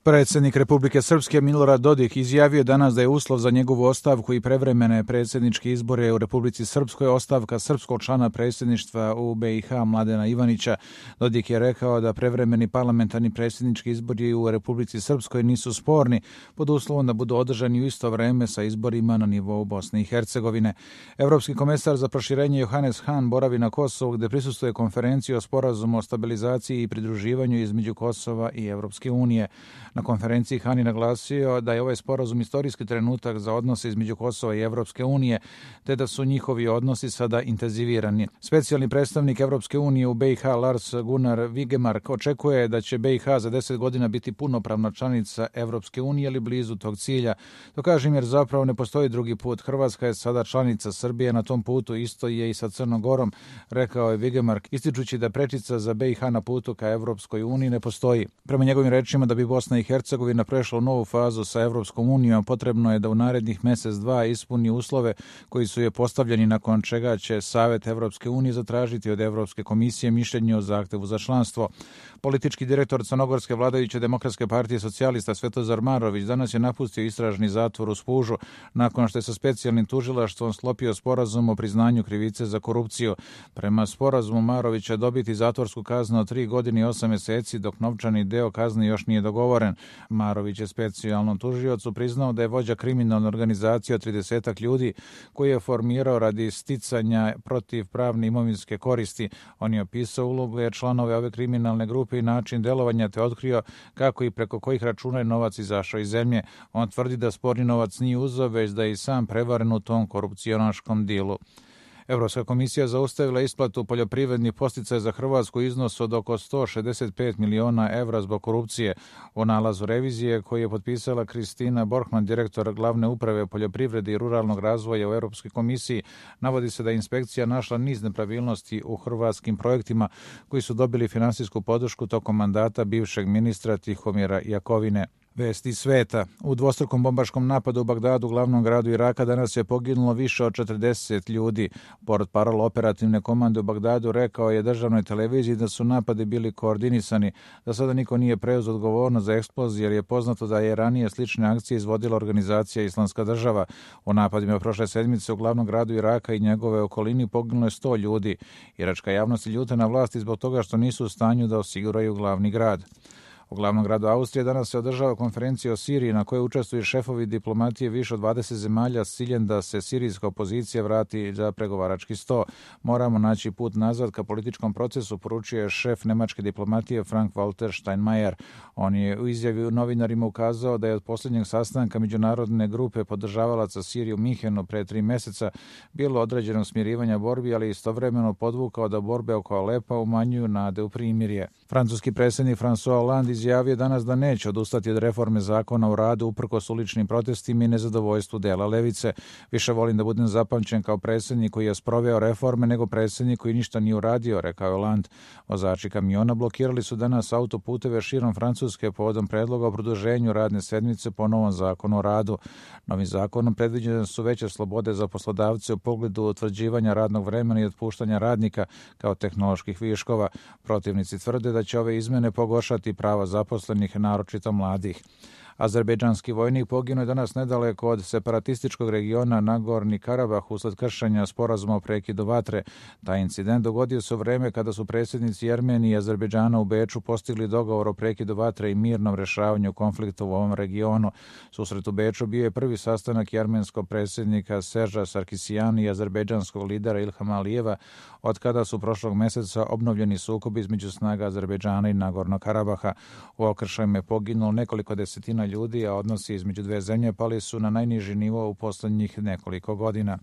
Predsjednik Republike Srpske Milorad Dodik izjavio danas da je uslov za njegovu ostavku i prevremene predsjedničke izbore u Republici Srpskoj ostavka srpskog člana predsjedništva u BiH Mladena Ivanića. Dodik je rekao da prevremeni parlamentarni predsjednički izbori u Republici Srpskoj nisu sporni pod uslovom da budu održani u isto vreme sa izborima na nivou Bosne i Hercegovine. Evropski komesar za proširenje Johannes Hahn boravi na Kosovu gdje prisustvuje konferenciji o sporazumu o stabilizaciji i pridruživanju između Kosova i Evropske unije. Na konferenciji Hahn je naglasio da je ovaj sporazum istorijski trenutak za odnose između Kosova i Evropske unije, te da su njihovi odnosi sada intenzivirani. Specijalni predstavnik Evropske unije u BiH Lars Gunnar Vigemark očekuje da će BiH za 10 godina biti punopravna članica Evropske unije ili blizu tog cilja. To kažem jer zapravo ne postoji drugi put. Hrvatska je sada članica Srbije na tom putu, isto je i sa Crnom Gorom, rekao je Vigemark, ističući da prečica za BiH na putu ka Evropskoj uniji ne postoji. Prema njegovim rečima, da bi Bosna i Hercegovina prešla u novu fazu sa Evropskom unijom, potrebno je da u narednih mjesec dva ispuni uslove koji su je postavljeni, nakon čega će Savet Evropske unije zatražiti od Evropske komisije mišljenje o zahtevu za članstvo. Politički direktor crnogorske vladajuće Demokratske partije socijalista Svetozar Marović danas je napustio istražni zatvor u Spužu nakon što je sa specijalnim tužilaštvom sklopio sporazum o priznanju krivice za korupciju. Prema sporazumu Marovića dobiti zatvorsku kaznu od 3 godine i 8 mjeseci, dok novčani deo kazne još nije dogovoren. Marović je specijalnom tužiocu priznao da je vođa kriminalne organizacije od 30 ljudi koji je formirao radi sticanja protiv pravne imovinske koristi. On je opisao uloge članove ove kriminalne grupe i način delovanja, te otkrio kako i preko kojih računa je novac izašao iz zemlje. On tvrdi da sporni novac nije uzeo, već da je i sam prevaren u tom korupcionaškom dilu. Evropska komisija zaustavila isplatu poljoprivrednih podsticaja za Hrvatsku iznos od oko 165 miliona evra zbog korupcije. U nalazu revizije koji je potpisala Kristina Borkman, direktor glavne uprave poljoprivrede i ruralnog razvoja u Europskoj komisiji, navodi se da je inspekcija našla niz nepravilnosti u hrvatskim projektima koji su dobili finansijsku podršku tokom mandata bivšeg ministra Tihomira Jakovine. Vesti sveta. U dvostrukom bombaškom napadu u Bagdadu, glavnom gradu Iraka, danas je poginulo više od 40 ljudi. Portparol operativne komande u Bagdadu rekao je državnoj televiziji da su napadi bili koordinisani, da sada niko nije preuzeo odgovornost za eksploziju, jer je poznato da je ranije slične akcije izvodila organizacija Islamska država. U napadima prošle sedmice u glavnom gradu Iraka i njegove okolini poginulo je 100 ljudi. Iračka javnost je ljuta na vlasti zbog toga što nisu u stanju da osiguraju glavni grad. U glavnom gradu Austrije danas se održava konferencija o Siriji na kojoj učestvuju šefovi diplomatije više od 20 zemalja s ciljem da se sirijska opozicija vrati za pregovarački sto. Moramo naći put nazad ka političkom procesu, poručuje šef nemačke diplomatije Frank-Walter Steinmeier. On je u izjavi novinarima ukazao da je od posljednjeg sastanka međunarodne grupe podržavalaca Sirije u Minhenu pre 3 mjeseca bilo određeno smirivanja borbi, ali istovremeno podvukao da borbe oko Alepa umanjuju nade u primirje. Francuski predsjednik François Hollande izjavio danas da neće odustati od reforme zakona o radu uprkos uličnim protestima i nezadovoljstvu dela levice. Više volim da budem zapamćen kao predsjednik koji je sproveo reforme nego predsjednik koji ništa nije uradio, rekao je Hollande. Vozači kamiona blokirali su danas autoputeve širom Francuske povodom predloga o produženju radne sedmice po novom zakonu o radu. Novim zakonom predviđene su veće slobode za poslodavce u pogledu utvrđivanja radnog vremena i otpuštanja radnika kao tehnoloških viškova. Protivnici tvrde da će ove izmene pogoršati prava zaposlenih, naročito mladih. Azerbejdžanski vojnik poginuo je danas nedaleko od separatističkog regiona Nagorni Karabah usled kršenja sporazuma o prekidu vatre. Taj incident dogodio se u vreme kada su predsjednici Armenije i Azerbejdžana u Beču postigli dogovor o prekidu vatre i mirnom rješavanju konflikta u ovom regionu. Susret u Beču bio je prvi sastanak armenskog predsjednika Serža Sarkisijana i azerbejdžanskog lidera Ilhama Alijeva od kada su prošlog mjeseca obnovljeni sukobi između snaga Azerbejdžana i Nagornog Karabaha. U okršajima je poginulo nekoliko desetina ljudi, a odnosi između dve zemlje pali su na najniži nivo u posljednjih nekoliko godina.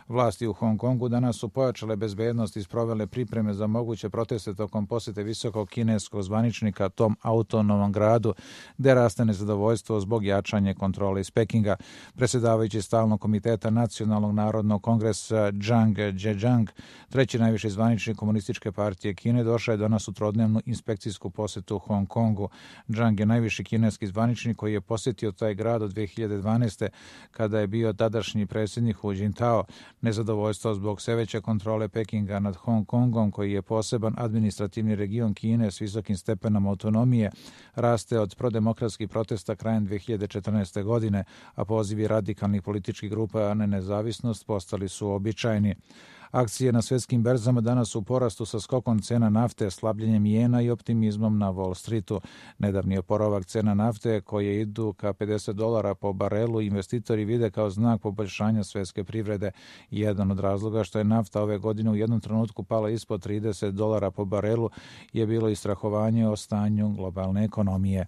Vlasti u Hong Kongu danas su pojačale bezbednost i sprovele pripreme za moguće proteste tokom posjete visokog kineskog zvaničnika tom autonomnom gradu, gde raste nezadovoljstvo zbog jačanja kontrole iz Pekinga. Predsjedavajući stalnog komiteta Nacionalnog narodnog kongresa Zhang Zhejiang, treći najviši zvaničnik komunističke partije Kine, došao je danas u trodnevnu inspekcijsku posjetu u Hong Kongu. Zhang je najviši kineski zvaničnik koji je posjetio taj grad od 2012. kada je bio tadašnji predsjednik Hu Jintao. Nezadovoljstvo zbog sve veće kontrole Pekinga nad Hong Kongom, koji je poseban administrativni region Kine s visokim stepenom autonomije, raste od prodemokratskih protesta krajem 2014. godine, a pozivi radikalnih političkih grupa na nezavisnost postali su običajni. Akcije na svjetskim berzama danas su u porastu sa skokom cena nafte, slabljenjem jena i optimizmom na Wall Streetu. Nedavni oporavak cena nafte, koje idu ka $50 po barelu, investitori vide kao znak poboljšanja svjetske privrede. Jedan od razloga što je nafta ove godine u jednom trenutku pala ispod $30 po barelu je bilo i strahovanje o stanju globalne ekonomije.